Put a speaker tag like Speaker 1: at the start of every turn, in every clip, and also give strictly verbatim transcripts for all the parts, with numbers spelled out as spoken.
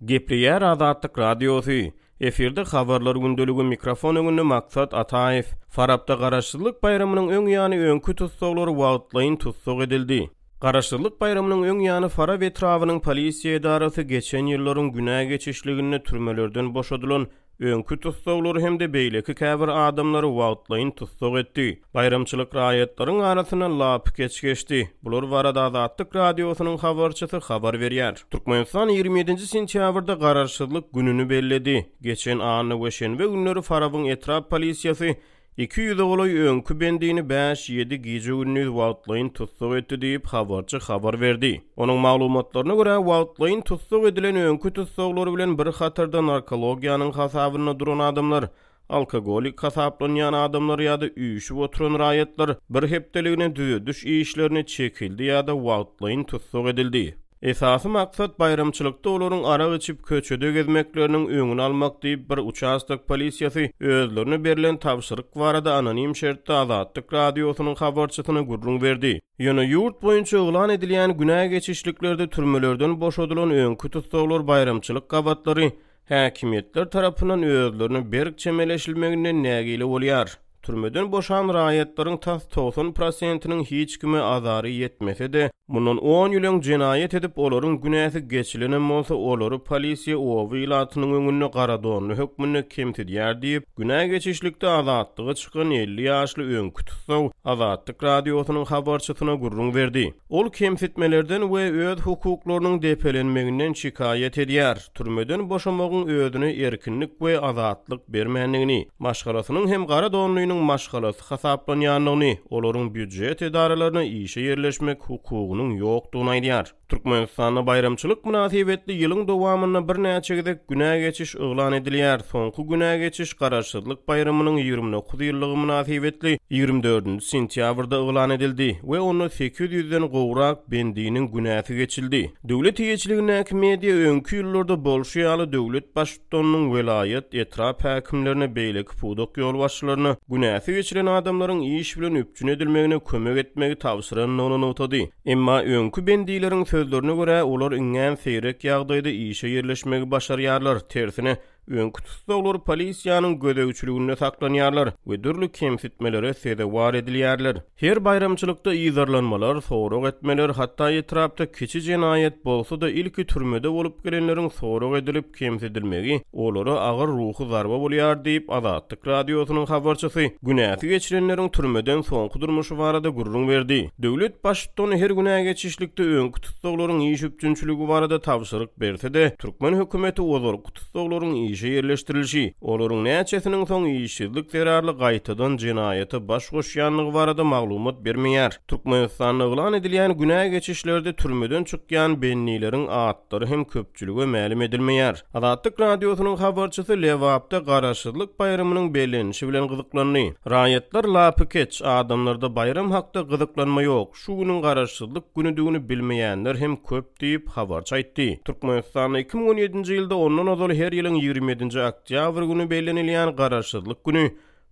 Speaker 1: Gepleýär Azatlyk Radiosy. Efirde Habarlar gündeligi mikrofon öňünde Maksat Ataýew. Farapda Garaşsyzlyk baýramynyň öň ýany öňki tussaglar wagtlaýyn tussag edildi. Garaşsyzlyk baýramynyň öň ýany Farap etrabynyň polisiýa edarasy geçen ýyllaryň günä geçişliginde türmelerden boşadylan öňki tussaglary hem-de beýleki käbir adamlary wagtlaýyn tussag etdi. Baýramçylyk raýatlaryň arasynda lapykeç geçdi. Bular barada Azatlyk Radiosynyň habarçysy habar berýär. Türkmenistan ýigrimi ýedinji sentýabrda Garaşsyzlyk gününi belledi. Geçen anna we şenbe günleri Farabyň etrap polisiýasy iki ýüze golaý öňki bendini bäş-ýedi gije-gündiz wagtlaýyn tussag etdi diýip, habarçy habar berdi. Onuň maglumatlaryna görä, wagtlaýyn tussag edilen öňki tussaglar bilen bir hatarda narkologiýanyň hasabynda duran adamlar, alkogolik hasaplanýan adamlar ýa-da üýşüp oturan raýatlar bir hepdeligine düzediş işlerine çekildi ýa-da wagtlaýyn tussag edildi. Esasy maksat baýramçylykda olaryň arak içip köçede gezmekleriniň öňüni almak diýip, bir uçastok polisiýasy özlerine berlen tabşyryk barada anonim şertde Azatlyk Radiosynyň habarçysyna gürrüň berdi. Ýöne ýurt boýunça yglan edilýän günä geçişliklerde türmelerden boşadylan öňki tussaglar baýramçylyk gabatlary häkimiýetler tarapyndan özlerine berk çemeleşilmeginden nägile bolýar. Türmeden boşan raýatlaryň tas togsan prosentiniň hiç kime azary ýetmese-de, mundan on ýyl öň jenaýat edip, olaryň günäsi geçilenem bolsa, olary polisiýa oba ilatynyň öňünde garadonly hökmünde kemsidýär diýip, günä geçişlikde azatlyga çykan elli ýaşly öňki tussag Azatlyk Radiosynyň habarçysyna gürrüň berdi. Ol kemsitmelerden we öz hukuklarynyň depelenmeginden şikaýat edýär, türmeden boşamagyň özüne erkinlik we azatlyk bermändigini, maşgalasynyň hem gara donlynyň maşgalasy hasaplanýandygyny, olaryň býujet edaralaryna işe ýerleşmek hukugynyň ýokdugyny aýdýar. Türkmenistanda baýramçylyk mynasybetli ýylyň dowamynda birnäçe gezek günä geçiş yglan edilýär. Soňky günä geçiş Garaşsyzlyk baýramynyň ýigrimi dokuz ýyllygy mynasybetli ýigrimi dördünji sentýabrda yglan edildi we onda sekiz ýüzden gowrak bendiniň günäsi geçildi. Döwlet eýeçiligindäki media öňki ýyllarda bolşy ýaly döwlet baştutanynyň welaýat, etrap häkimlerine, beýleki pudak ýolbaşçylaryna günäsi geçilen adamlaryň iş bilen üpjün edilmegine kömek etmegi tabşyrandygyny nygtady. Emma öňki bendileriň sözlerine görä, olar iňňän seýrek ýagdaýda işe ýerleşmegi başarýarlar, tersine, öňki tussaglar polisiýanyň gözegçiliginde saklanýarlar we dürli kemsitmelere sezewar edilýärler. Her baýramçylykda yzarlanmalar, sorag etmeler, hatda etrapda kiçi jenaýat bolsa-da ilki türmede bolup gelenleriň sorag edilip kemsidilmegi olara agyr ruhy zarba bolýar diýip, Azatlyk Radiosynyň habarçysy günäsi geçilenleriň türmeden soňky durmuşy barada gürrüň berdi. Döwlet baştutany her günä geçişlikde öňki tussaglaryň iş üpjünçiligi barada tabşyryk berse-de, türkmen hökümeti ozalky tussaglaryň işe ýerleşdirilişi, olaryň näçesiniň soň işsizlik zerarly gaýtadan jenaýata baş goşýanlygy barada maglumat bermeýär. Türkmenistanda yglan edilýän günä geçişlerde türmeden çykýan bendileriň atlary hem köpçülige mälim edilmeýär. Azatlyk Radiosynyň habarçysy Lebapda Garaşsyzlyk baýramynyň bellenişi bilen gyzyklandy. Raýatlar lapykeç, adamlarda baýram hakda gyzyklanma ýok, şu günüň Garaşsyzlyk günüdigini bilmeýänler hem köp diýip habarçy aýtdy. Türkmenistanda iki müň on ýedinji ýylda ondan ozal her ýylyň ýigrimi ýedinji oktýabr güni bellenilýän Garaşsyzlyk güni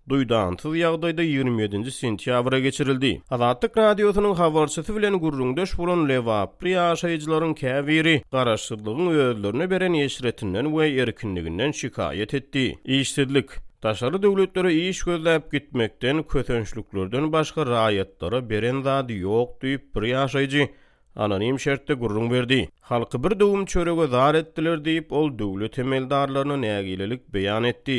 Speaker 1: duýdansyz ýagdaýda ýigrimi ýedinji sentýabra geçirildi. Azatlyk Radiosynyň habarçysy bilen gürrüňdeş bolan lebaply ýaşaýjylaryň käbiri Garaşsyzlygyň özlerine beren eşretinden we erkinliginden şikaýat etdi. Işsizlik, daşary döwletlere iş gözläp gitmekden, kösençliklerden başga raýatlara beren zady ýok diýip bir ýaşaýjy anonim şertde gürrüň berdi. Halky bir döwüm çörege zar etdiler diýip, ol döwlet emeldarlaryna nägilelik beýan etdi.